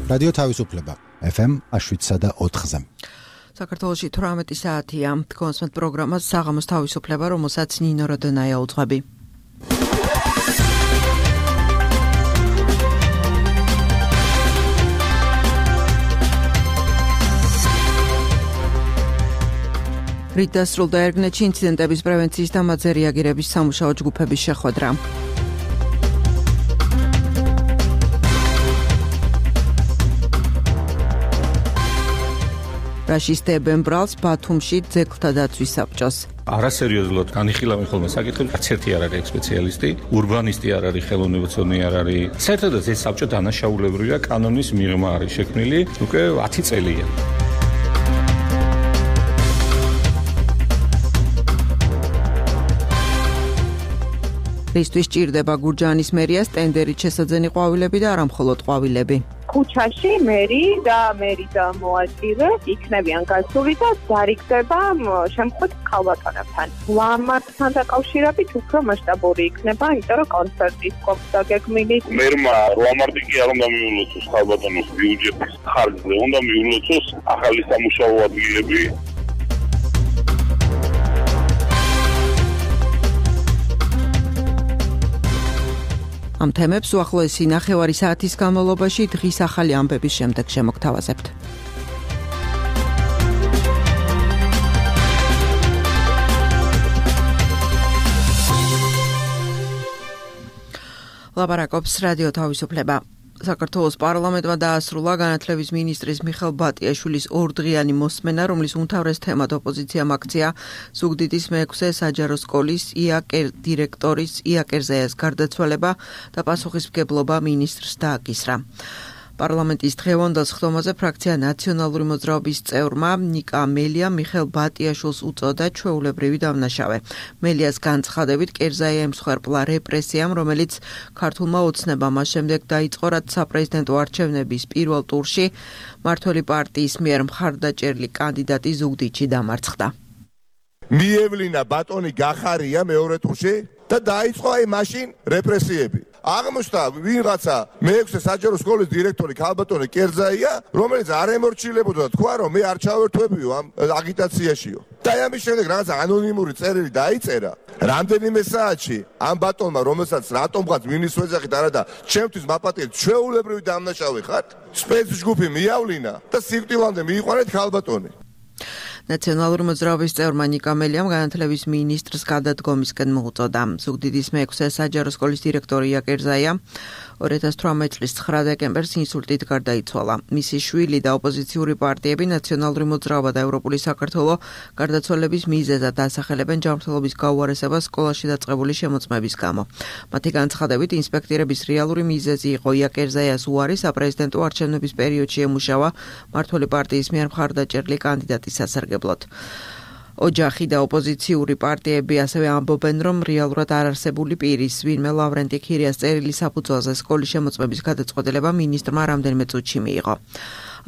რადიო თავისუფლება FM 7.4-ზე. საქართველოში 18 საათია. კონსმეთ პროგრამას საღამოს თავისუფლება, რომელსაც ნინო როდონაია უძღვები. რით დასრულდა ერგნეთში ინციდენტების პრევენციის და მათზე რეაგირების სამუშაო ჯგუფების შეხვედრა. რაშისტებენ ბრალს ბათუმში ძეგლთა დაცვის საბჭოს. არასერიოზულად განიხილავენ ხოლმე საკითხები, არც ერთი არ არის სპეციალისტი, ურბანისტი არ არის, ხელოვნებაცოდნე არ არის. საერთოდ ეს საბჭო დანაშაულებრივია, კანონის მიღმა არის შექმნილი უკვე 10 წელია. რისთვის ჭირდება გურჯაანის მერიას ტენდერით შესაძენი ყვავილები და არა მხოლოდ ყვავილები. ქუჩაში მერი და მოაჭირე იქნებიან გასული და დარიგდება შემთხვევით ქალბატონებთან. ლამათთან დაკავშირებით უფრო მასშტაბური იქნება, იმიტომ რომ კონცერტის კოპსა გეგმილი. მერმა 8 მარტი კი არ უნდა მიულოცოს ქალბატონოს ბიუჯეტის ხარჯზე, უნდა მიულოცოს ახალი სამუშაო ადგილები. ამ თემებს უახლოესი ნახევარი საათის განმავლობაში დღის ახალი ამბების შემდეგ შემოგთავაზებთ. ლაპარაკობს რადიო თავისუფლება. საქართველოს პარლამენტმა დაასრულა განათლების მინისტრის მიხეილ ბატიაშვილის ორდღიანი მოსმენა, რომლის უმთავრეს თემად ოპოზიციამ აქცია ზუგდიდის მე-6 საჯარო სკოლის დირექტორის იაკერზეას გარდაცვალება და პასუხისმგებლობა მინისტრს დააკისრა. პარლამენტის დღევანდელ სხდომაზე ფრაქცია ნაციონალური მოძრაობის წევრმა ნიკა მელიამ მიხეილ ბატიაშვილს უწოდა ჩვეულებრივი დამნაშავე. მელიას განცხადებით კერზაია ემსხვერპლა რეპრესიამ, რომელიც ქართულმა ოცნებამ მას შემდეგ დაიწყო, რაც საპრეზიდენტო არჩევნების პირველ ტურში მმართველი პარტიის მიერ მხარდაჭერილი კანდიდატი ზუგდიდში დამარცხდა. მიევლინა ბატონი გახარია მეორე ტურში და დაიწყო აი მაშინ რეპრესიები. აღმოჩნდა ვინღაცა მე-6 საჯარო სკოლის დირექტორი ქალბატონი კერძაია, რომელიც არ ემორჩილებოდა და თქვა, რომ მე არ ჩავერთვებიო ამ აგიტაციაშიო. და ამის შემდეგ რაღაცა ანონიმური წერილი დაიწერა. რამდენიმე საათში ამ ბატონმა, რომელსაც რატომღაც მინისტრს ვეძახით არა და ჩემთვის მაპატიეთ, ჩვეულებრივი დამნაშავე ხართ, სპეცჯგუფი მიავლინა და სიკვდილამდე მიიყვანეთ ქალბატონი. ნაციონალური მოძრაობის წევრმა ნიკა მელიამ განათლების მინისტრს გადადგომისკენ მოუწოდა. ზუგდიდის მე-6 საჯარო სკოლის დირექტორი იაკერზეა 2018 წლის 9 დეკემბერს ინსულტით გარდაიცვალა. მისი შვილი და ოპოზიციური პარტიები ნაციონალური მოძრაობა და ევროპული საქართველო გარდაცვალების მიზეზად ასახელებენ ჯანმრთელობის გაუარესებას სკოლაში დაწყებული შემოწმების გამო. მათი განცხადებით ინსპექტორების რეალური მიზეზი იყო იაკერზეას უარი საპრეზიდენტო არჩევნების პერიოდში ემუშავა მმართველი პარტიის მიერ მხარდაჭერილი კანდიდატის სასარგებლოდ. ოჯახი და ოპოზიციური პარტიები ასევე ამბობენ, რომ რეალურად არ არსებული პირის ვინმე ლავრენტი ქირიას წერილის საფუძველზე სკოლის შემოწმების გადაწყვეტილება მინისტრმა რამდენიმე წუთში მიიღო.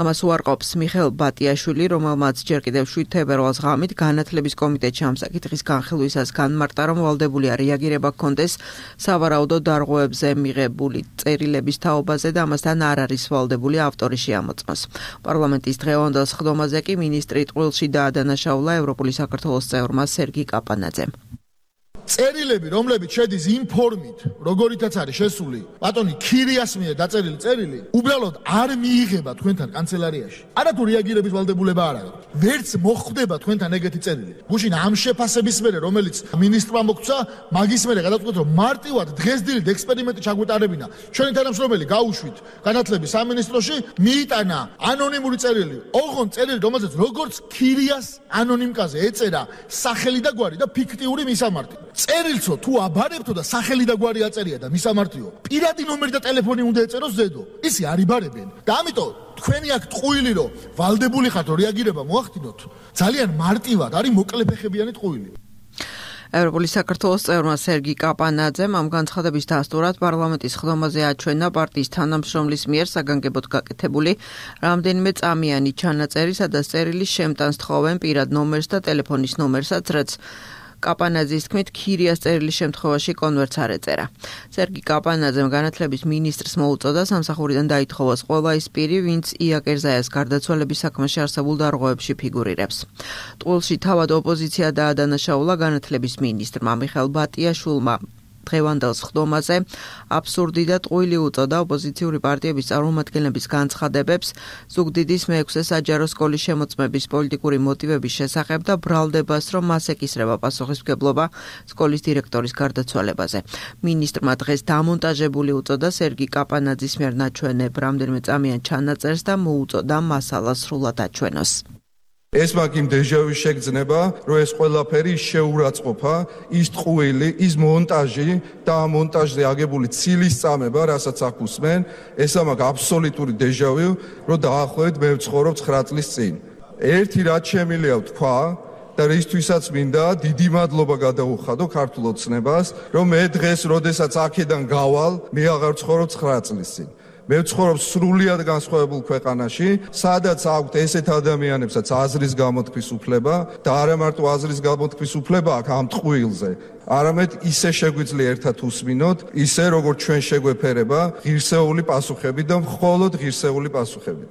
ამას უარყოფს მიხეილ ბატიაშვილი, რომელმაც ჯერ კიდევ 7 თებერვალს ღამით განათლების კომიტეტში ამ საკითხის განხილვისას განმარტა, რომ ვალდებულია რეაგირება ჰქონდეს სავარაუდო დარღვევებზე მიღებული წერილების თაობაზე და ამასთან არ არის ვალდებული ავტორი შეამოწმოს. პარლამენტის დღევანდელ სხდომაზე კი მინისტრი ტყუილში დაადანაშაულა ევროპული საქართველოს წევრმა სერგი კაპანაძემ. წერილები, რომლებიც შედის ინფორმით, როგორითაც არის შესული, ბატონი ქირიას მიერ დაწერილი წერილი, უბრალოდ არ მიიღება თქვენთან კანცელარიაში. არათუ რეაგირების ვალდებულება არ აქვს. ვერც მოხვდება თქვენთან ეგეთი წერილი. გუშინ ამ შეფასების მერე, რომელიც მინისტრმა მოგცა, მაგის მერე გადაწყვეტა, რომ მარტივად დღესდილით ექსპერიმენტი ჩაგვეტარებინა. ჩვენი თანამშრომელი გაუშვით განათლების სამინისტროში, მიიტანა ანონიმური წერილი. ოღონდ წერილი, რომელზეც როგორც ქირიას ანონიმკაზე ეწერა სახელი და გვარი და ფიქტიური მისამართი. წერილცო თუ აბარებთო და სახელი და გვარი აწერია და მისამართიო, პირადი ნომერი და ტელეფონი უნდა ეწეროს ზედო. ისი არ იბარებენ. და ამიტომ თქვენი აქ ტყუილი რომ ვალდებული ხართ რეაგირება მოახდინოთ, ძალიან მარტივად არის მოკლეფეხებიანი ტყუილი. ევროპული საქართველოს წევრმა სერგი კაპანაძემ ამ განცხადების დასტურად პარლამენტის სხდომაზე აჩვენა პარტიის თანამშრომლის მიერ საგანგებოდ გაკეთებული რამდენიმე წამიანი ჩანაწერი, სადაც წერილი შემტანს თხოვენ პირად ნომერს და ტელეფონის ნომერსაც, რაც კაპანაძის თქმით, ქირიას წერილის შემთხვევაში კონვერტს არ ეწერა. სერგი კაპანაძემ განათლების მინისტრს მოუწოდა სამსახურიდან დაითხოვოს ყველა ის პირი, ვინც ია კერზაიას გარდაცვალების საქმეში არსებულ დარღვევებში ფიგურირებს. ტყუილში თავად ოპოზიცია დაადანაშაულა განათლების მინისტრმა მიხეილ ბატიაშვილმა დღევანდელს ხდომაზე აბსურდი და ტყუილი უწოდა ოპოზიციური პარტიების წარმომადგენლების განცხადებებს ზუგდიდის მე-6 საჯარო სკოლის შემოწმების პოლიტიკური მოტივების შესახებ და ბრალდებას, რომ მას ეკისრება პასუხისმგებლობა სკოლის დირექტორის გარდაცვალებაზე. მინისტრმა დღეს დამონტაჟებული უწოდა სერგი კაპანაძის მიერ ნაჩვენებ რამდენიმე წამიან ჩანაწერს და მოუწოდა მასალას სრულად აჩვენოს. ეს მაგ იმ დეჟავი შეგრძნება, რომ ეს ყველაფერი შეურაცხყოფა, ის ტყუილი, ის მონტაჟი და ამ მონტაჟზე აგებული ცილის წამება, რასაც აქ უსმენ, ეს მაგ აბსოლუტური დეჟავი, რომ დაახლოებით მე ვცხოვრობ 9 წლის წინ. ერთი რაც შემიძლია ვთქვა და რისთვისაც მინდა დიდი მადლობა გადაუხადო ქართულ ოცნებას, რომ მე დღეს, როდესაც აქედან გავალ, მე აღარ ვცხოვრობ 9 წლის წინ. მე ვცხოვრობ სრულიად განსხვავებულ ქვეყანაში, სადაც აქვთ ესეთ ადამიანებსაც აზრის გამოთქმის უფლება და არა მარტო აზრის გამოთქმის უფლება აქვს ამ ტყუილზე. არამედ ისე შეგვიძლია ერთად უსმინოთ, ისე როგორც ჩვენ შეგვეფერება ღირსეული პასუხები და მხოლოდ ღირსეული პასუხები.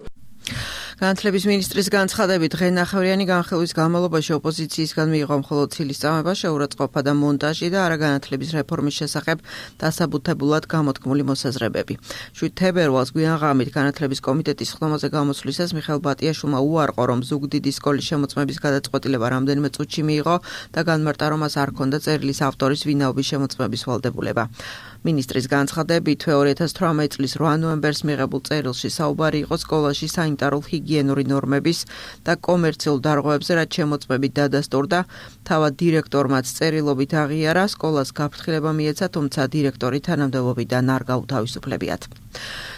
განათლების მინისტრის განცხადებით, დღენახევრიანი განხილვის განმავლობაში ოპოზიციისგან მიიღო მხოლოდ ცილის წამება, შეურაცხყოფა და მონტაჟი და არა განათლების რეფორმის შესახებ დასაბუთებულად გამოთქმული მოსაზრებები. 7 თებერვალს გვიანღამით განათლების კომიტეტის ხდომაზე გამოსვლისას მიხეილ ბატიაშვილმა უარყო, რომ ზუგდიდის სკოლის შემოწმების გადაწყვეტილება რამდენიმე წუთში მიიღო და განმარტა, რომ მას არ ჰქონდა წერილის ავტორის ვინაობის შემოწმების ვალდებულება. მინისტრის განცხადებით 2018 წლის 8 ნოემბერს მიღებულ წერილში საუბარი იყო სკოლაში სანიტარულ ჰიგიენური ნორმების და კომერციულ დარღვევებზე, რაც შემოწმებით დადასტურდა. თავად დირექტორმაც წერილობით აღიარა, სკოლას გაფრთხილება მიეცა, თუმცა დირექტორი თანამდებობიდან არ გაუთავისუფლებიათ.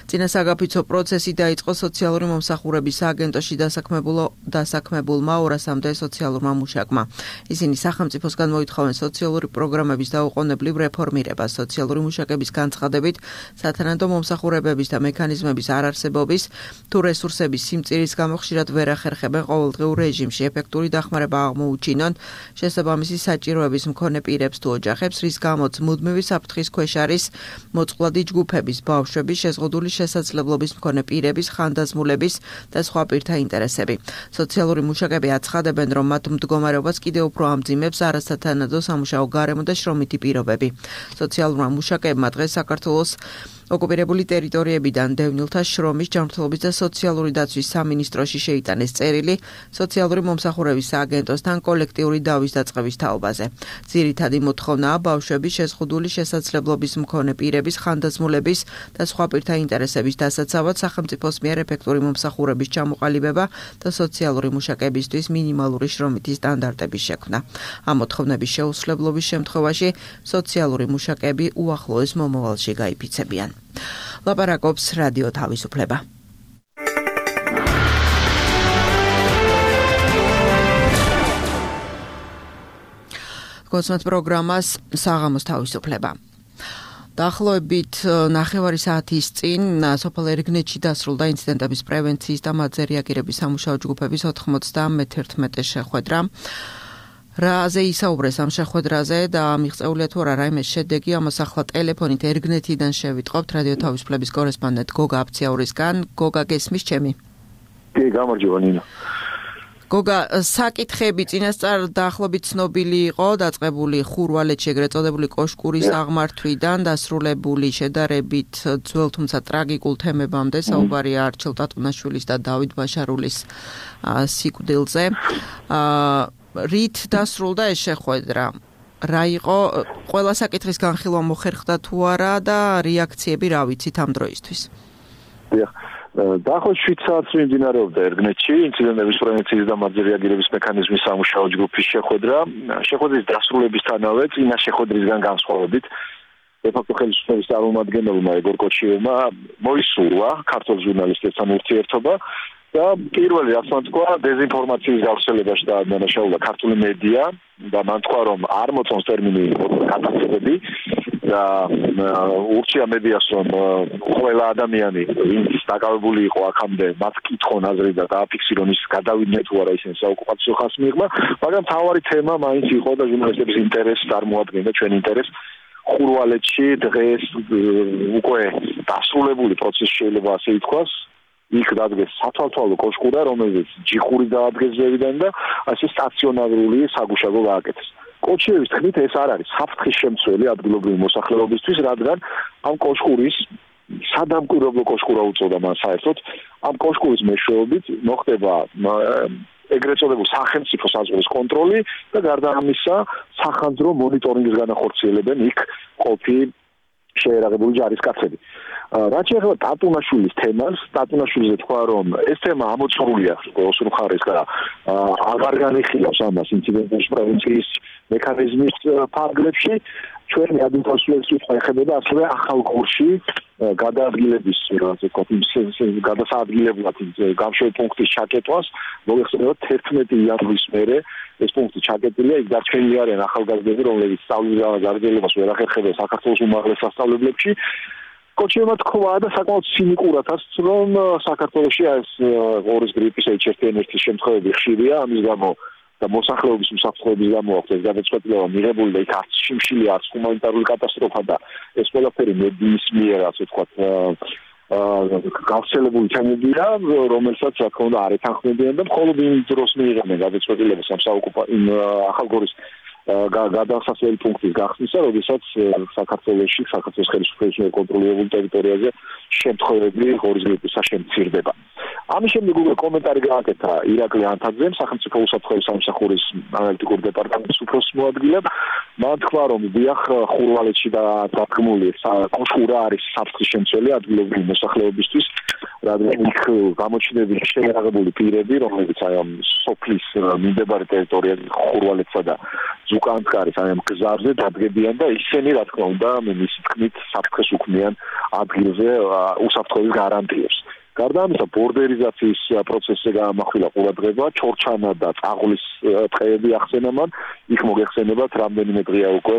წინა საგაფიცო პროცესი დაიწყო სოციალური მომსახურების სააგენტოში დასაქმებულმა 200-მდე სოციალურმა მუშაკმა. ისინი სახელმწიფოსგან მოითხოვენ სოციალური პროგრამების დაუყოვნებლივ რეფორმირებას, სოციალური მუშაკების განცხადებით, სათანადო მომსახურებების და მექანიზმების არარსებობის თუ რესურსების სიმწირის გამო ხშირად ვერ ახერხებენ ყოველდღიურ რეჟიმში ეფექტური დახმარება აღმოუჩინონ შესაბამისი საჭიროების მქონე პირებს თუ ოჯახებს, რის გამოც მუდმივი საფრთხის ქვეშ არის მოწყვლადი ჯგუფების, ბავშვების, შეზღუდული შესაძლებლობის მქონე პირების, ხანდაზმულების და სხვა პირთა ინტერესები. სოციალური მუშაკები აცხადებენ, რომ მათ მდგომარეობას კიდევ უფრო ამძიმებს არასათანადო სამუშაო გარემო და შრომითი პირობები. სოციალურმა მუშაკებმა დღეს საქართველოს ოკუპირებული ტერიტორიებიდან დევნილთა შრომის, ჯანმრთელობის და სოციალური დაცვის სამინისტროში შეიტანეს წერილი სოციალური მომსახურების სააგენტოსთან კოლექტიური დავის დაწყების თაობაზე. ძირითადი მოთხოვნაა ბავშვების, შეზღუდული შესაძლებლობის მქონე პირების, ხანდაზმულების და სხვა პირთა ინტერესების დასაცავად სახელმწიფოს მიერ ეფექტური მომსახურების ჩამოყალიბება და სოციალური მუშაკებისთვის მინიმალური შრომითი სტანდარტების შექმნა. ამ მოთხოვნების შეუსრულებლობის შემთხვევაში სოციალური მუშაკები უახლოეს მომავალში გაიფიცებიან. ლაპარაკობს რადიო თავისუფლება. კონსულტ პროგრამას საღამოს თავისუფლება. დაახლოებით 9 საათის წინ სოფელ ერგნეთში დასრულდა ინციდენტების პრევენციის და მათზე რეაგირების სამუშაო ჯგუფების 91 შეხვედრა. რაზე ისაუბრეს ამ შეხვედრაზე და მიღწეულია თუ არა რაიმე შედეგი, ამას ახლა ტელეფონით ერგნეთიდან შევიტყობთ რადიო თავისუფლების კორესპონდენტ გოგა აფციაურისგან. გოგა, გესმის ჩემი? კი, გამარჯობა ნინო. გოგა, საკითხები წინასწარ დაახლოებით ცნობილი იყო, დაწყებული ხურვალეთში ეგრეთ წოდებული კოშკურის აღმართვიდან დასრულებული შედარებით ძველ თუმცა ტრაგიკულ თემებამდე, საუბარია არჩილ ტატუნაშვილის და დავით ბაშარულის სიკვდილზე. რით დასრულდა ეს შეხვედრა? რა იყო ყველა საკითხის განხილვა მოხერხდა თუ არა და რეაქციები რა ვიცით ამ დროისთვის? დაახლოებით 7 საათს მიმდინარეობდა ერგნეთში ინციდენტების პრევენციის და მათზე რეაგირების მექანიზმის სამუშაო ჯგუფის შეხვედრა. შეხვედრის დასრულებისთანავე წინა შეხვედრისგან განსხვავებით დე-ფაქტო ხელისუფლების წარმომადგენელმა ეგორ კოჩიევმა მოისურვა ქართულ ჟურნალისტებთან ურთიერთობა და პირველი რაც მან თქვა, დეზინფორმაციის გავრცელებაში დაადანაშაულა ქართული მედია და მან თქვა, რომ არ მოწონს ტერმინი კატასტროფები და ურჩია მედიას რომ ყველა ადამიანი ვინც დაკავებული იყო აქამდე მათ კითხონ აზრი და დააფიქსირონ ის გადავიდნენ თუ არა ისინი საოკუპაციო ხაზს მიიღმა, მაგრამ თავარი თემა მაინც იყო და ჟურნალისტების ინტერესს წარმოადგენდა, ჩვენ ინტერესს. ხურვალეთში დღეს უკვე დასრულებული პროცესი შეიძლება ასე ითქვას. იქ დადგეს სათვალთვალო კოშკურა, რომელიც ჯიხური დაადგეს ზევიდან და ასე სტაციონარული საგუშაგო გააკეთეს. კოჩიევის თქმით ეს არ არის საფრთხის შემცველი ადგილობრივი მოსახლეობისთვის, რადგან ამ კოშკურის სადამკვირვებლო კოშკურა უწოდა მას საერთოდ, ამ კოშკურის მეშვეობით მოხდება ეგრეთ წოდებულ სახელმწიფო საზღვრის კონტროლი და გარდა ამისა სახანძრო მონიტორინგის განახორციელებენ იქ ყოფი შეერაღებული ჯარისკაცები. რაც შეეხება ტატუნაშვილის თემას, ტატუნაშვილზე თქვა რომ ეს თემა ამოწურულია ოსურ მხარეს და აღარ განიხილავს ამას ინციდენტების პრევენციის მექანიზმის ფარგლებში. ჩვენი ადმინისტრაციის კითხვა ეხება ასევე ახალ გორში გადაადგილების გადასაადგილებლად გამშვები პუნქტის ჩაკეტვას. მოგეხსენებათ 11 იანვრის მერე ეს პუნქტი ჩაკეტილია, იქ დარჩენილი არიან ახალგაზრდები, რომლებიც სწავლის გაგრძელებას ვერ ახერხებენ საქართველოს უმაღლეს სასწავლებლებში. კოჩიევმა თქვა და საკმაოდ ცინიკურადაც რომ საქართველოში ეს ღორის გრიპის H1N1-ის შემთხვევები ხშირია, ამის გამო და მოსახლეობის უსაფრთხოების გამო აქვს ეს გადაწყვეტილება მიღებული და იქ არც შიმშილი, არც ჰუმანიტარული კატასტროფა და ეს ყველაფერი მედიის მიერ ასე ვთქვათ გავრცელებული თემებია, რომელსაც რა თქმა უნდა არ ეთანხმებიან და მხოლოდ იმ დროს მიიღებენ გადაწყვეტილებას ამ საოკუპაციო ახალგორის გადასასვლელი პუნქტის გახსნისა, როდესაც საქართველოში, საქართველოს ხელისუფლების მიერ კონტროლირებულ ტერიტორიაზე შემთხვევები ღორის გრიპისა შემცირდება. ამის შემდეგ უკვე კომენტარი გააკეთა ირაკლი ანთაძემ, სახელმწიფო უსაფრთხოების სამსახურის ანალიტიკური დეპარტამენტის უფროს მოადგილემ. მან თქვა, რომ დიახ, ხურვალეთში დადგმული კოშკურა არის საფრთხის შემცველი ადგილობრივი მოსახლეობისთვის, რადგან იქ გამოჩნდება შეერაღებული პირები, რომლებიც აი ამ სოფლის მიმდებარე ტერიტორიაზე ხურვალეთსა და ზუკანსკარის აი ამ გზაზე დადგებიან და ისინი რა თქმა უნდა მისი თქმით საფრთხეს უქმნიან ადგილზე უსაფრთხოების გარანტიებს. გარდა ამისა ბორდერიზაციის პროცესზე გაამახვილა ყურადღება, ჩორჩანა და წაღლის ტყეები ახსენა მან, იქ მოგეხსენებათ რამდენიმე დღეა უკვე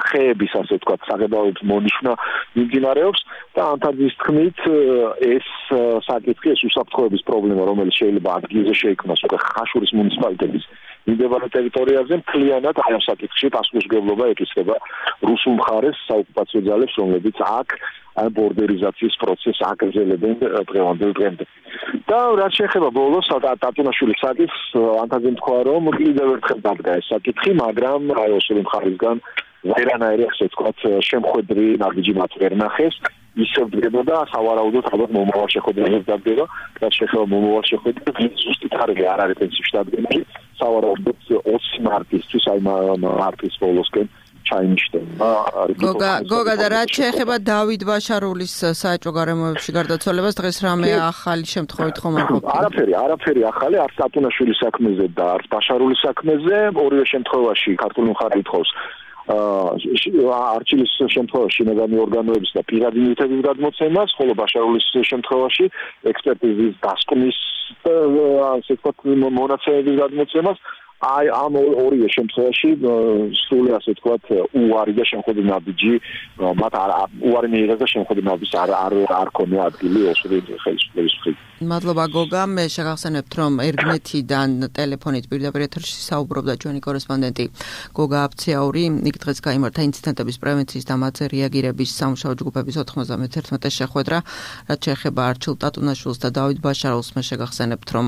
ხეების ასე ვთქვათ საღებავების მონიშნა მიმდინარეობს და ანთაძის თქმით ეს საკითხი, ეს უსაფრთხოების პრობლემა, რომელიც შეიძლება ადგილზე შეიქმნას უკვე ხაშურის მუნიციპალიტეტის მიმდებარე ტერიტორიაზე, მთლიანად ამ საკითხში პასუხისმგებლობა ეკისრება რუსულ მხარეს საოკუპაციო ძალებს, რომლებიც აქ ამ ბორდერიზაციის პროცესს აგრძელებენ დღევანდელ დღემდე. და რაც შეეხება ბოლოს ტატუნაშვილის საკითხს, ანთაძემ თქვა, რომ კიდევ ერთხელ დადგა ეს საკითხი, მაგრამ აი ოსური მხარისგან ვერანაირი ასე ვთქვათ შემხვედრი ნაბიჯი მათ ვერ ნახეს. ისევ დგებოდა სავარაუდოდ ალბათ მომავალ შეხვედრაზე დადგება, რაც შეეხება მომავალ შეხვედრას, ზუსტი თარიღი არ არის პრინციპში დადგენილი, სავარაუდოდ 20 მარტისთვის, აი მარტის ბოლოსკენ ჩაინიშნება. გოგა და რაც შეეხება დავით ბაშარულის საეჭვო გარემოებში გარდაცვალებას, დღეს რამე ახალი შემთხვევით ხომ არ ყოფილა? არაფერი ახალი, არც ტატუნაშვილის საქმეზე და არც ბაშარულის საქმეზე, ორივე შემთხვევაში ქართული მხარე ითხოვს არჩილის შემთხვევაში შინაგანი ორგანოების და პირადი ნივთების გადმოცემას, ხოლო ბაშარულის შემთხვევაში ექსპერტიზის დასკვნის ასე ვთქვათ მონაცემების გადმოცემას. აი ამ ორივე შემთხვევაში სრული ასე ვთქვათ უარი და შემოქმედი ნაბიჯი მათ უარი მიიღეს და შემოქმედი ნაბიჯს არ ქონია ადგილი ოსური ხელისუფლების მხრიდან. მადლობა გოგა, მე შეგახსენებთ რომ ერგნეთიდან ტელეფონით პირდაპირ ეთერში საუბრობდა ჩვენი კორესპონდენტი გოგა აფციაური. იქ დღეს გაიმართა ინციდენტების პრევენციის და მათზე რეაგირების სამუშაო ჯგუფების 91 შეხვედრა, რაც შეეხება არჩილ ტატუნაშვილს და დავით ბაშარულს. მე შეგახსენებთ რომ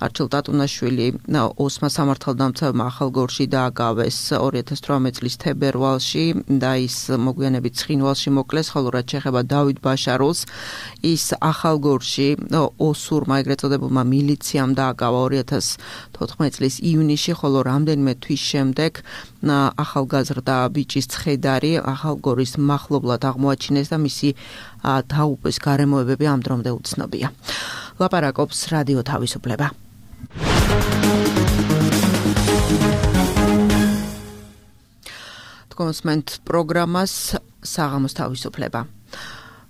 არჩილ ტატუნაშვილი ოსმა სამართალდამცავმა ახალგორში დააგავეს 2018 წლის თებერვალში და ის მოგვიანებით ცხინვალში მოკლეს, ხოლო რაც შეეხება დავით ბაშარულს, ის ახალგორში ოსურმა ეგრეთ წოდებულმა მილიციამ დააკავა 2014 წლის ივნისში, ხოლო რამდენიმე თვის შემდეგ ახალგაზრდა ბიჭის ცხედარი ახალგორის მახლობლად აღმოაჩინეს და მისი დაუპეს გარემოებები ამ დრომდე უცნობია. ლაპარაკობს რადიო თავისუფლება. კონსმენტ პროგრამას საღამოს თავისუფლება.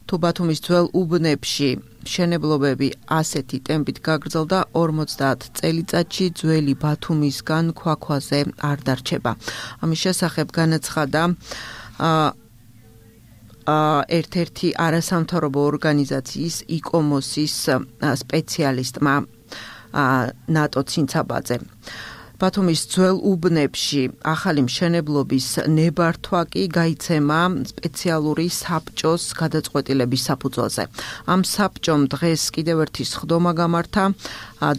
თუ ბათუმის ძველ უბნებში მშენებლობები ასეთი ტემპით გაგრძელდა 50 წელიწადში ძველი ბათუმისგან ქვაქვაზე არ დარჩება. ამის შესახებ განაცხადა ერთ-ერთი არასამთავრობო ორგანიზაციის იკომოსის სპეციალისტმა ნატო ცინცაბაძე. ბათუმის ძველ უბნებში ახალი მშენებლობის ნებართვა კი გაიცემა სპეციალური საბჭოს გადაწყვეტილების საფუძველზე. ამ საბჭომ დღეს კიდევ ერთი სხდომა გამართა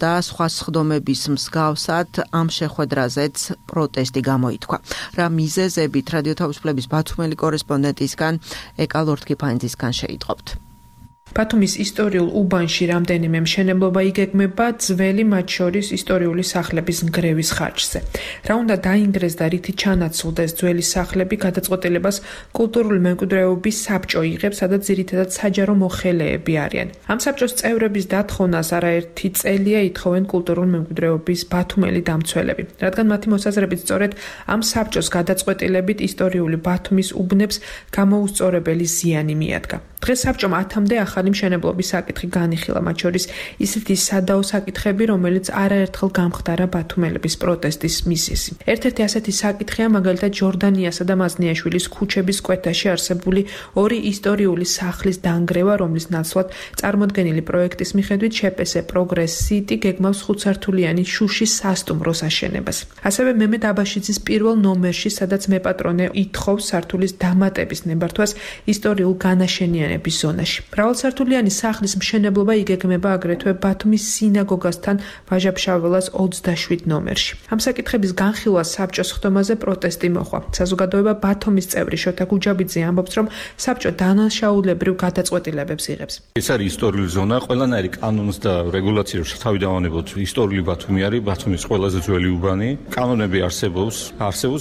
და სხვა სხდომების მსგავსად ამ შეხვედრაზეც პროტესტი გამოითქვა. რა მიზეზებით რადიო თავისუფლების ბათუმელი კორესპონდენტისგან ეკალორთქიფანძისგან შეიტყობთ. ბათუმის ისტორიულ უბანში რამდენიმე მშენებლობა იგეგმება ძველი მათ შორის ისტორიული სახლების ნგრევის ხარჯზე. რა უნდა დაინგრეს და რითი ჩანაცვლდეს ძველი სახლები გადაწყვეტილებას კულტურული მემკვიდრეობის საბჭო იღებს, სადაც ძირითადად საჯარო მოხელეები არიან. ამ საბჭოს წევრების დათხოვნას არაერთი წელია ითხოვენ კულტურული მემკვიდრეობის ბათუმელი დამცველები, რადგან მათი მოსაზრებით სწორედ ამ საბჭოს გადაწყვეტილებით ისტორიული ბათუმის უბნებს გამოუსწორებელი ზიანი მიადგა. დღეს საბჭომ 10-მდე ახალი მშენებლობის საკითხი განიხილა, მათ შორის ისეთი სადაო საკითხები, რომელიც არაერთხელ გამხდარა ბათუმელების პროტესტის მიზეზი. ერთ-ერთი ასეთი საკითხია მაგალითად ჯორდანიასა და მაზნიაშვილის ქუჩების კვეთაში არსებული ორი ისტორიული სახლის დანგრევა, რომლის ნაცვლად წარმოდგენილი პროექტის მიხედვით შეპესე პროგრეს სიტი გეგმავს 5-სართულიანი შუშის სასტუმროს აშენებას. ასევე მემედ აბაშიძის პირველ ნომერში, სადაც მეპატრონე ითხოვს სართულის დამატების ნებართვას ისტორიულ განაშენიანებას ზონაში. მრავალსართულიანი სახლის მშენებლობა იგეგმება აგრეთვე ბათუმის სინაგოგასთან ვაჟა-ფშაველას 27 ნომერში. ამ საკითხების განხილვას საბჭოს ხდომაზე პროტესტი მოხდა. საზოგადოება ბათუმის წევრი შოთა გუჯაბიძე ამბობს, რომ საბჭო დანაშაულებრივ გადაწყვეტილებებს იღებს. ეს არის ისტორიული ზონა, ყველანაირი კანონს და რეგულაციებს თავი დავანებოთ. ისტორიული ბათუმი არის ბათუმის ყველაზე ძველი უბანი. კანონები არსებობს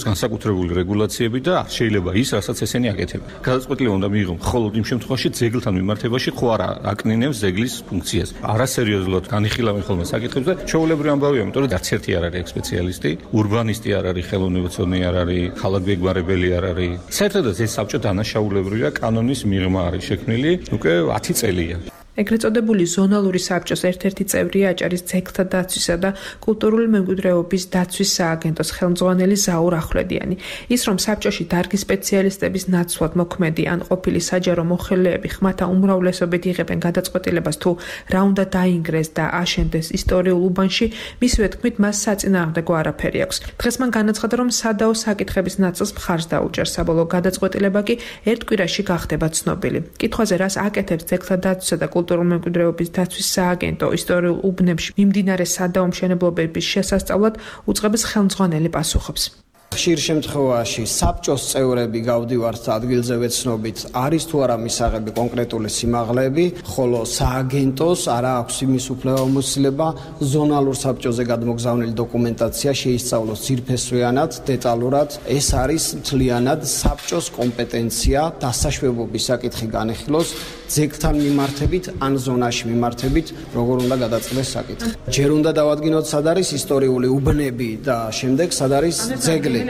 განსაკუთრებული რეგულაციები და შეიძლება ის, რასაც ესენი აკეთებენ. გადაწყვეტილება უნდა მიიღო მხოლოდ იმ შემთხვევაში, ძეგლთან მიმართებაში ხო არა აკნინებს ძეგლის ფუნქციას. არასერიოზულად განიხილავენ ხოლმე საკითხებს და ჩვეულებრივი ამბავია, იმიტომ რომ არც ერთი არ არის ექსპეციალისტი, ურბანისტი არ არის, ხელოვნებაცონი არ არის, ხალხმეგმარებელი არ არის. საერთოდ ეს საბჭო დანაშაულებრივია, კანონის მიღმა არის შექმნილი უკვე 10 წელია. ეგრეთ წოდებული ზონალური საბჭოს ერთ-ერთი წევრია აჭარის ძეგლთა დაცვისა და კულტურული მემკვიდრეობის დაცვის სააგენტოს ხელმძღვანელი ზაურ ახვლედიანი. ის რომ საბჭოში დარგის სპეციალისტების ნაცვლად მოქმედი ან ყოფილი საჯარო მოხელეები ხმათა უმრავლესობით იღებენ გადაწყვეტილებას თუ რა უნდა დაინგრეს და აშენდეს ისტორიულ უბანში, მისივე თქმით მას საწინააღმდეგო არაფერი აქვს. დღეს მან განაცხადა, რომ სადაო საკითხების ნაწილს მხარს დაუჭერს, საბოლოო გადაწყვეტილება კი ერთ კვირაში გახდება ცნობილი. კითხვაზე რას აკეთებს ძეგლთა დაცვისა და კულტურული მემკვიდრეობის დაცვის სააგენტო ისტორიულ უბნებში მიმდინარე სადაო მშენებლობების შესასწავლად უწყების ხელმძღვანელი პასუხობს. ხშირ შემთხვევაში საბჭოს წევრები გავდივართ ადგილზე ვეცნობით, არის თუ არა მისაღები კონკრეტული სიმაღლეები, ხოლო სააგენტოს არა აქვს იმის უფლებამოსილება ზონალურ საბჭოზე გადმოგზავნილი დოკუმენტაცია შეისწავლოს ძირფესვიანად, დეტალურად. ეს არის მთლიანად საბჭოს კომპეტენცია დასაშვებობის საკითხი განეხილოს ძეგლთან მიმართებით ან ზონაში მიმართებით, როგორ უნდა გადაწყდეს საკითხი. ჯერ უნდა დავადგინოთ, სად არის ისტორიული უბნები და შემდეგ სად არის ძეგლი.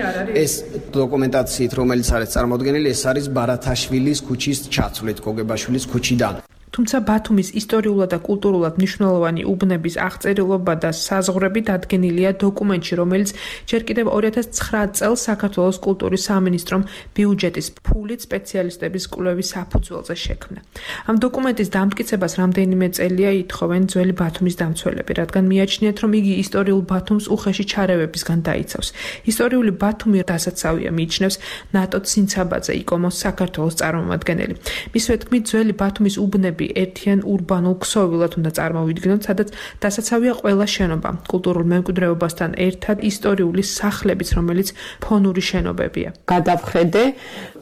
ეს დოკუმენტაციით, რომელიც არის წარმოდგენილი, ეს არის ბარათაშვილის ქუჩის ჩაცვლით, გოგებაშვილის ქუჩიდან. თუმცა ბათუმის ისტორიულად და კულტურულად მნიშვნელოვანი უბნების აღწერილობა და საზღვრები დადგენილია დოკუმენტში, რომელიც ჯერ კიდევ 2009 წელს საქართველოს კულტურის სამინისტრომ ბიუჯეტის ფულით სპეციალისტების კვლევის საფუძველზე შექმნა. ამ დოკუმენტის დამტკიცებას რამდენიმე წელია ითხოვენ ძველი ბათუმის დამცველები, რადგან მიაჩნიათ, რომ იგი ისტორიულ ბათუმს უხეში ჩარევებისგან დაიცავს. ისტორიული ბათუმი დასაცავია, მიიჩნევს ნატო ცინცაბაძე, იკომოს საქართველოს წარმომადგენელი. მისივე თქმით, ძველი ბათუმის უბნები ერთიან ურბანულ ქსოვილად უნდა წარმოვიდგინოთ, სადაც დასაცავია ყველა შენობა, კულტურულ მემკვიდრეობასთან ერთად ისტორიული სახლებიც, რომელიც ფონური შენობებია. გადავხედე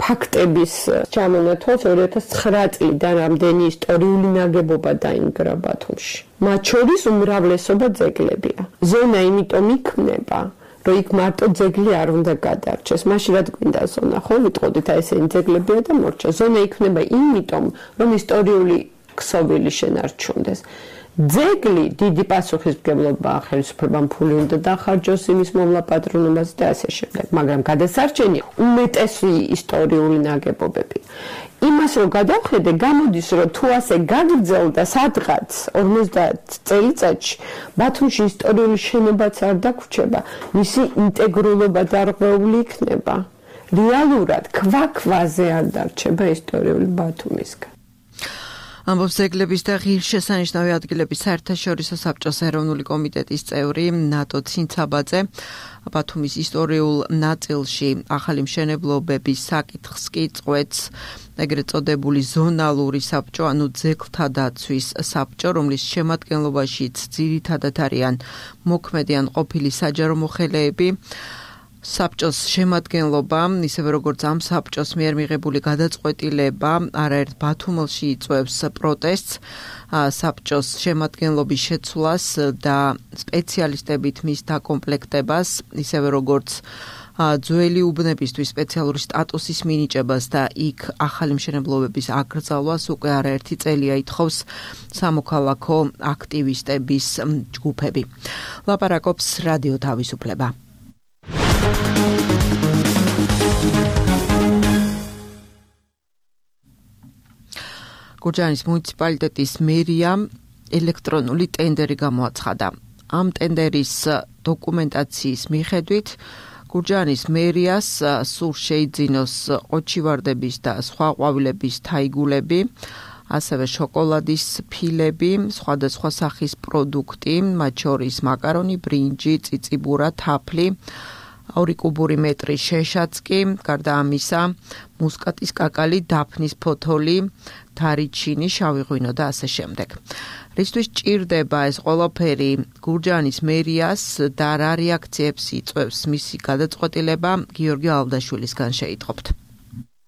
ფაქტების ჩამონათვალს 2009 წლიდან რამდენი ისტორიული ნაგებობა დაინგრა ბათუმში. მათ შორის უმრავლესობა ძეგლებია. ზონა იმიტომ იქმნება, რომ იქ მარტო ძეგლი არ უნდა გადარჩეს. მაშინ რა გვინდა ზონა, ხო? ვიტყოდით, აი ესენი ძეგლებია და მორჩა. ზონა იქმნება იმიტომ, რომ ისტორიული ქსოვილი შენარჩუნდეს. ძეგლი დიდი პასუხისმგებლობა ხელისუფლებამ ფული უნდა დახარჯოს იმის მოვლა პატრონობაზე და ასე შემდეგ, მაგრამ გადასარჩენი უმეტესი ისტორიული ნაგებობები. იმას რომ გადავხედე, გამოდის, რომ თუ ასე გაგრძელდა სადღაც 50 წელიწადში, ბათუმში ისტორიული შენობაც არ დაგვრჩება, მისი ინტეგრულობა დარღვეული იქნება. რეალურად ქვაზე არ დარჩება ისტორიული ბათუმისგან. ამბობს ძეგლების და ღირსშესანიშნავი ადგილების საერთაშორისო საბჭოს ეროვნული კომიტეტის წევრი ნატო ცინცაბაძე. ბათუმის ისტორიულ ნაწილში ახალი მშენებლობების საკითხს კი წყვეტს ეგრეთ წოდებული ზონალური საბჭო, ანუ ძეგლთა დაცვის საბჭო, რომლის შემადგენლობაშიც ძირითადად არიან მოქმედი ან ყოფილი საჯარო მოხელეები. საბჭოს შემადგენლობა, ისევე როგორც ამ საბჭოს მიერ მიღებული გადაწყვეტილება, არაერთ ბათუმელში იწვევს პროტესტს, საბჭოს შემადგენლობის შეცვლას და სპეციალისტებით მის დაკომპლექტებას, ისევე როგორც ძველი უბნებისთვის სპეციალური სტატუსის მინიჭებას და იქ ახალი მშენებლობების აკრძალვას უკვე არაერთი წელია ითხოვს სამოქალაქო აქტივისტების ჯგუფები. ლაპარაკობს რადიო თავისუფლება. გურჯაანის მუნიციპალიტეტის მერიამ ელექტრონული ტენდერი გამოაცხადა. ამ ტენდერის დოკუმენტაციის მიხედვით გურჯაანის მერიას სურს შეიძინოს ყოჩივარდების და სხვა ყვავილების თაიგულები, ასევე შოკოლადის ფილები, სხვადასხვა სახის პროდუქტი, მათ შორის მაკარონი, ბრინჯი, წიწიბურა, თაფლი, 2 კუბური მეტრი შეშაც კი, გარდა ამისა, მუსკატის კაკალი, დაფნის ფოთოლი, თარიჩინი, შავი ღვინო და ასე შემდეგ. რისთვის ჭირდება ეს ყველაფერი გურჯაანის მერიას და რა რეაქციებს იწვევს მისი გადაწყვეტილება, გიორგი ალდაშვილისგან შეიტყობთ.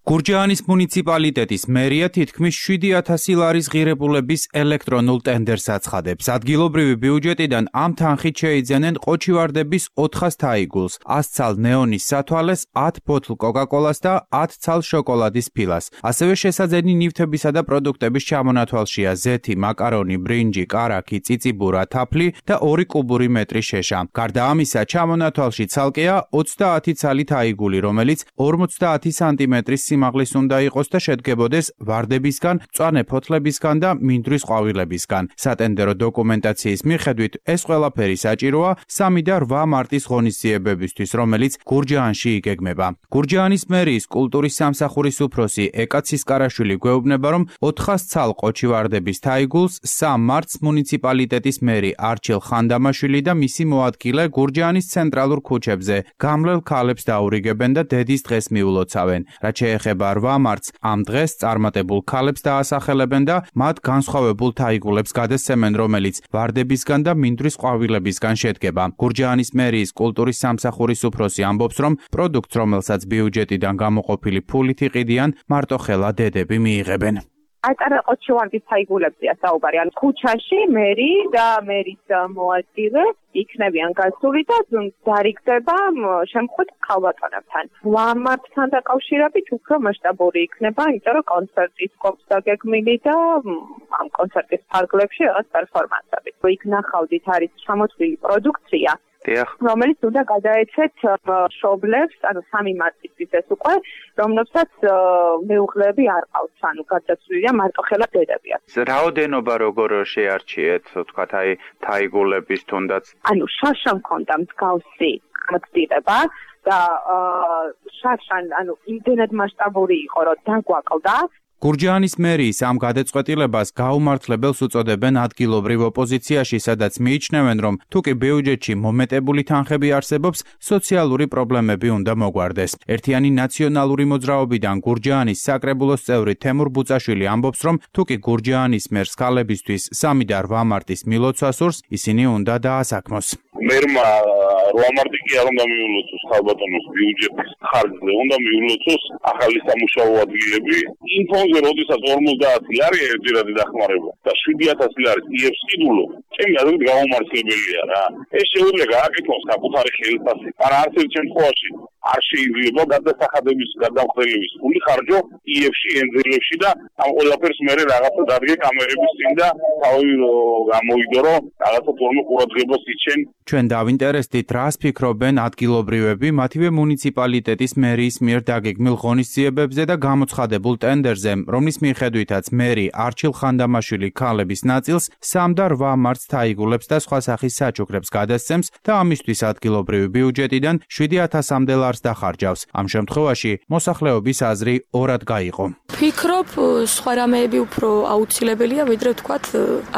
გურჯაანის მუნიციპალიტეტის მერია თითქმის 7,000 ლარის ღირებულების ელექტრონულ ტენდერს აცხადებს. ადგილობრივი ბიუჯეტიდან ამ თანხით შეიძენენ ყოჩივარდების 400 თაიგულს, 100 ცალ ნეონის სათვალეს, 10 ბოთლ კოკაკოლას და 10 ცალ შოკოლადის ფილას. ასევე შესაძენი ნივთებისა და პროდუქტების ჩამონათვალშია ზეთი, მაკარონი, ბრინჯი, კარაქი, წიწიბურა, თაფლი და 2 კუბური მეტრი შეშა. გარდა ამისა, ჩამონათვალში ცალკეა 30 ცალი თაიგული, რომელიც 50 სანტიმეტრის სიმაღლის უნდა იყოს და შედგებოდეს ვარდებისგან, მწვანე ფოთლებისგან და მინდვრის ყვავილებისგან. სატენდერო დოკუმენტაციის მიხედვით ეს ყველაფერი საჭიროა 3 და 8 მარტის ღონისძიებებისთვის, რომელიც გურჯაანში იგეგმება. გურჯაანის მერიის კულტურის სამსახურის უფროსი ეკა ცისკარაშვილი გვეუბნება, რომ 400 ცალ ყოჩივარდების თაიგულს 3 მარტს მუნიციპალიტეტის მერი არჩილ ხანდამაშვილი და მისი მოადგილე გურჯაანის ცენტრალურ ქუჩებზე გამლელ ქალებს დაურიგებენ და დედის დღეს მიულოცავენ. რაც შეეხება 8 მარტს ამ დღეს წარმატებულ ქალებს დაასახელებენ და მათ განსხვავებულ თაიგულებს გადასცემენ, რომელიც ვარდებისგან და მინდვრის ყვავილებისგან შედგება. გურჯაანის მერიის კულტურის სამსახურის უფროსი ამბობს, რომ პროდუქტს, რომელსაც ბიუჯეტიდან გამოყოფილი ფულით იყიდიან, მარტოხელა დედები მიიღებენ. ატარა ყოჩივარდის თაიგულებზეა საუბარი. ან ქუჩაში მერი და მერის მოადგილე იქნებიან გასული და დარიგდება შემთხვევით ქალბატონებთან. 8 მარტთან დაკავშირებით უფრო მასშტაბური იქნება, იმიტომ რომ კონცერტის ყოფს დაგეგმილი და ამ კონცერტის ფარგლებში რაღაც პერფორმანსები. იქ ნახავდით არის ჩამოთვლილი პროდუქცია, რომელიც უნდა გადაეცეთ მშობლებს, ანუ 3 მარტისთვის ეს უკვე, რომლებსაც მეუღლეები არ ყავთ, ანუ გადაცვლილია მარტოხელა დედებია. რაოდენობა როგორ შეარჩიეთ, თქვათ, აი თაიგულების თუნდაც? ანუ შაშა მქონდა მსგავსი გამოცდილება და შაშან, ანუ იმდენად მასშტაბური იყო, რომ დაგვაკლდა. გურჯაანის მერიის ამ გადაწყვეტილებას გაუმართლებელს უწოდებენ ადგილობრივ ოპოზიციაში, სადაც მიიჩნევენ, რომ თუკი ბიუჯეტში მომეტებული თანხები არსებობს, სოციალური პრობლემები უნდა მოგვარდეს. ერთიანი ნაციონალური მოძრაობიდან გურჯაანის საკრებულოს წევრი თემურ ბუწაშვილი ამბობს, რომ თუკი გურჯაანის მერს ქალებისთვის 3 და 8 მარტის მილოცვა სურს, ისინი უნდა დაასაქმოს. მერმა 8 მარტი კი არ უნდა მიულოცოს ქალბატონოს ბიუჯეტის ხარჯზე, უნდა მიულოცოს ახალი სამუშაო ადგილები. ინფონზე როდესაც 50 არის ერთგვარად დახმარება და 7,000 არის იებს კიდულო. ჩემი აზრით გაუმართლებელია რა. ეს შეუძლია გააკეთოს საკუთარი ხელფასი. არა არც ერთ შემთხვევაში არ შეიძლება გადასახადების გადამხდელების ფული ხარჯო იებში, ენძილებში და ამ ყველაფერს მერე რაღაცა დადგე კამერების წინ და თავი გამოიდო, რაღაცა თორმე ყურადღებას იჩენ. ჩვენ დავინტერესდით, რას ფიქრობენ ადგილობრივები მათივე მუნიციპალიტეტის მერიის მიერ დაგეგმილ ღონისძიებებზე და გამოცხადებულ ტენდერზე, რომლის მიხედვითაც მერი არჩილ ხანდამაშვილი ქალების ნაწილს 3 და 8 მარტს თაიგულებს და სხვა სახის საჩუქრებს გადასცემს და ამისთვის ადგილობრივი ბიუჯეტიდან 7,000-მდე ლარს დოლარს დახარჯავს. ამ შემთხვევაში მოსახლეობის აზრი ორად გაიყო. ვფიქრობ, სხვა რამეები უფრო აუცილებელია, ვიდრე ვთქვათ,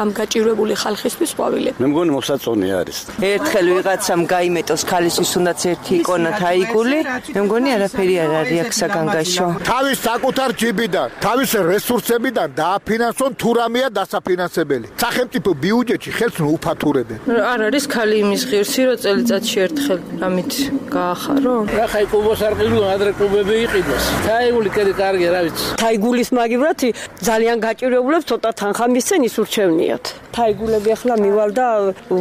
ამ გაჭირვებული ხალხისთვის ყვავილები. მე მგონი მოსაწონი არის. ერთხელ ვიღაცამ გაიმეტოს ქალისთვის უნდაც ერთი იკონა თაიგული, მე მგონი არაფერი არ არის აქ საგანგაშო. თავის საკუთარ ჯიბიდან, თავის რესურსებიდან დააფინანსონ თუ რამეა დასაფინანსებელი. სახელმწიფო ბიუჯეტში ხელს უფათურებენ. არ არის ქალი იმის ღირსი, რომ წელიწადში ერთხელ რამით გაახარო? ახლა კლუბოს არ ყიდულობ, ადრე კლუბები იყიდეს. თაიგული კიდე კარგია, რა ვიცი. თაიგულის მაგივრად ძალიან გაჭირვებულებს ცოტა თანხა მისცენ ის ურჩევნიათ. თაიგულები ახლა მივალ და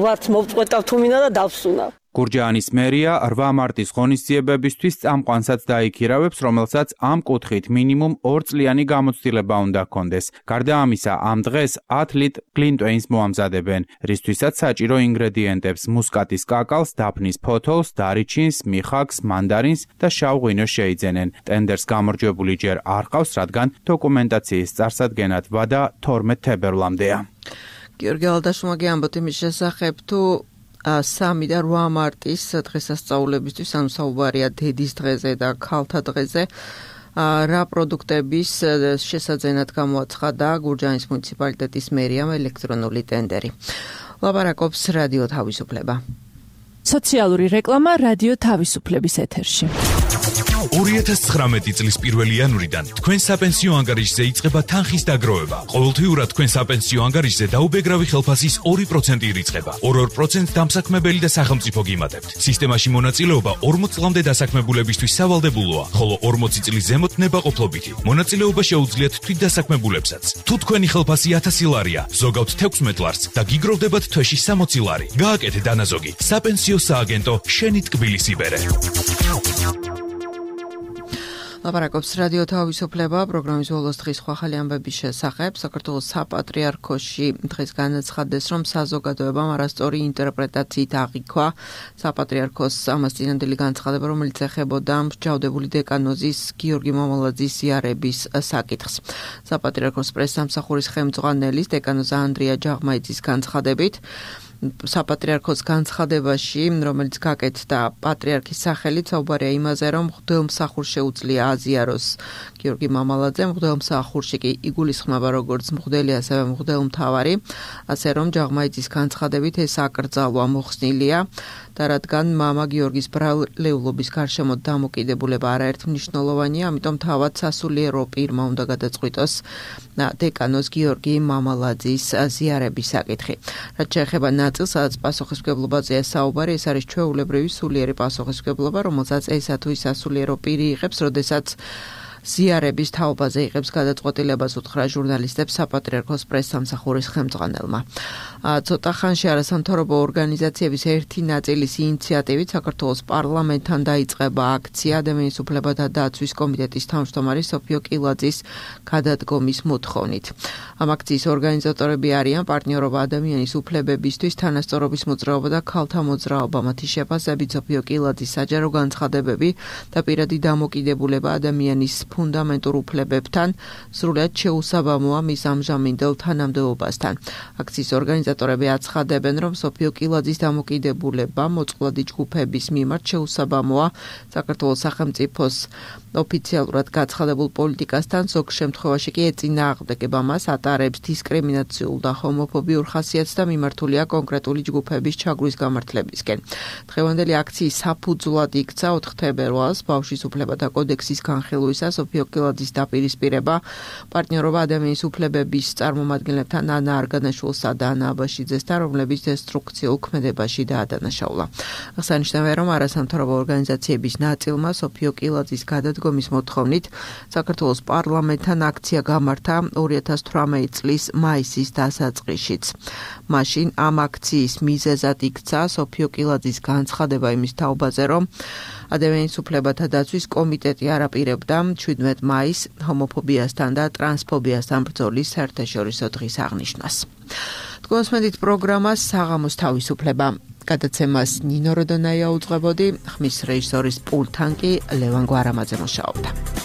ვარც მოვწყვეტავ თუ მინდა და დავსუნავ. გურჯაანის მერია 8 მარტის ღონისძიებებისთვის წამყვანსაც დაიქირავებს, რომელსაც ამ კუთხით მინიმუმ 2 წლიანი გამოცდილება უნდა ჰქონდეს. გარდა ამისა, ამ დღეს 10 ლიტრ გლინტვეინს მოამზადებენ, რისთვისაც საჭირო ინგრედიენტებს მუსკატის კაკალს, დაფნის ფოთოლს, დარიჩინს, მიხაკს, მანდარინს და შავ ღვინოს შეიძენენ. ტენდერს გამარჯვებული ჯერ არ ყავს, რადგან დოკუმენტაციის წარსადგენად ვადა 12 თებერვლამდეა. გიორგი ალდაშუმაგი ამბობთ იმის შესახებ, თუ 3 და 8 მარტის დღესასწაულებისთვის, ანუ საუბარია დედის დღეზე და ქალთა დღეზე, რა პროდუქტების შესაძენად გამოაცხადა გურჯაანის მუნიციპალიტეტის მერიამ ელექტრონული ტენდერი. ლაპარაკობს რადიო თავისუფლება. სოციალური რეკლამა რადიო თავისუფლების ეთერში. 2019 წლის 1 იანვრიდან თქვენ საპენსიო ანგარიშზე იწყება თანხის დაგროვება. ყოველთვიურად თქვენ საპენსიო ანგარიშზე დაუბეგრავი ხელფასის 2% ირიცხება. 2% დამსაქმებელი და სახელმწიფო გიმატებთ. სისტემაში მონაწილეობა 40 წლამდე დასაქმებულებისთვის სავალდებულოა, ხოლო 40 წლის ზემოთ ნებაყოფლობითი. მონაწილეობა შეუძლიათ თვითდასაქმებულებსაც. თუ თქვენი ხელფასი 1000 ლარია, ზოგავთ 16 ლარს და გიგროვდებათ თვეში 60 ლარი. გააკეთე დანაზოგი. საპენსიო სააგენტო შენი ტკბილის იბერე. ლაპარაკობს რადიო თავისუფლება, პროგრამის ბოლოს დღის ხვალ ამბების შესახებ. საქართველოს საპატრიარქოში დღეს განაცხადეს, რომ საზოგადოებამ არასწორი ინტერპრეტაციით აღიქვა საპატრიარქოს ამას წინანდელი განცხადება, რომელიც ეხებოდა მსჯავრდებული დეკანოზის გიორგი მამალაძის ზიარების საკითხს. საპატრიარქოს პრესსამსახურის ხელმძღვანელის დეკანოზ ანდრია ჯაღმაიძის განცხადებით, საპატრიარქოს განცხადებაში, რომელიც გაკეთდა პატრიარქის სახელით, საუბარია იმაზე, რომ მღვდელმსახურს შეუძლია აზიაროს გიორგი მამალაძე, მღვდელმსახურში კი იგულისხმება როგორც მღვდელი, ასევე მღვდელმთავარი, ასე რომ ჯაღმაიძის განცხადებით ეს აკრძალვა მოხსნილია და რადგან მამა გიორგის ბრალეულობის გარშემო დამოკიდებულება არაერთ მნიშვნელოვანია, ამიტომ თავად სასულიერო პირმა უნდა გადაწყვიტოს დეკანოს გიორგი მამალაძის ზიარების საკითხი. რაც შეეხება ნაწილს, სადაც პასუხისმგებლობაზეა საუბარი, ეს არის ჩვეულებრივი სულიერი პასუხისმგებლობა, რომელსაც ესა თუ ის სასულიერო პირი იღებს, როდესაც ზიარების თაობაზე იღებს გადაწყვეტილებას, უთხრა ჟურნალისტებს საპატრიარქოს პრესსამსახურის ხელმძღვანელმა. ცოტა ხანში არასამთავრობო ორგანიზაციების ერთი ნაწილის ინიციატივით საქართველოს პარლამენტთან დაიწყება აქცია ადამიანის უფლებათა დაცვის კომიტეტის თავმჯდომარის სოფიო კილაძის გადადგომის მოთხოვნით. ამ აქციის ორგანიზატორები არიან პარტნიორობა ადამიანის უფლებებისთვის, თანასწორობის მოძრაობა და ქალთა მოძრაობა. მათი შეფასებით სოფიო კილაძის საჯარო განცხადებები და პირადი დამოკიდებულება ადამიანის ფუნდამენტურ უფლებებთან სრულად შეუსაბამოა მის ამჟამინდელ თანამდებობასთან. აქციის ორგანიზატორები აცხადებენ, რომ სოფიო კილაძის დამოკიდებულება მოწყვლადი ჯგუფების მიმართ შეუსაბამოა საქართველოს სახელმწიფოს ოფიციალურად გაცხადებულ პოლიტიკასთან, ზოგ შემთხვევაში კი ეწინააღმდეგება მას, ატარებს დისკრიმინაციულ და ჰომოფობიურ ხასიათს და მიმართულია კონკრეტული ჯგუფების ჩაგვრის გამართლებისკენ. დღევანდელი აქციის საფუძვლად იქცა 4 თებერვალს ბავშვის უფლებათა კოდექსის განხილვისას სოფიო კილაძის დაპირისპირება პარტნიორობა ადამიანის უფლებების წარმომადგენლებთან ანა არგანაშვილსა და ანა აბაშიძესთან, რომლებიც დესტრუქციულ ქმედებაში დაადანაშაულა. აღსანიშნავია, რომ არასამთავრობო ორგანიზაციების ნაწილმა სოფიო კილაძის გადადგომის მოთხოვნით საქართველოს პარლამენტთან აქცია გამართა 2018 წლის მაისის დასაწყისშიც. მაშინ ამ აქციის მიზეზად იქცა სოფიო კილაძის განცხადება იმის თაობაზე, რომ ადამიანის უფლებათა დაცვის კომიტეტი არაპირებდა 17 მაისს ჰომოფობიასთან და ტრანსფობიასთან ბრძოლის საერთაშორისო დღის აღნიშვნას. თქვენსმენით პროგრამას საღამოს თავისუფლება. გადაცემას ნინო როდონაია უძღვებოდი, ხმის რეჟისორის პულტთან კი ლევან გვარამაძე მუშაობდა.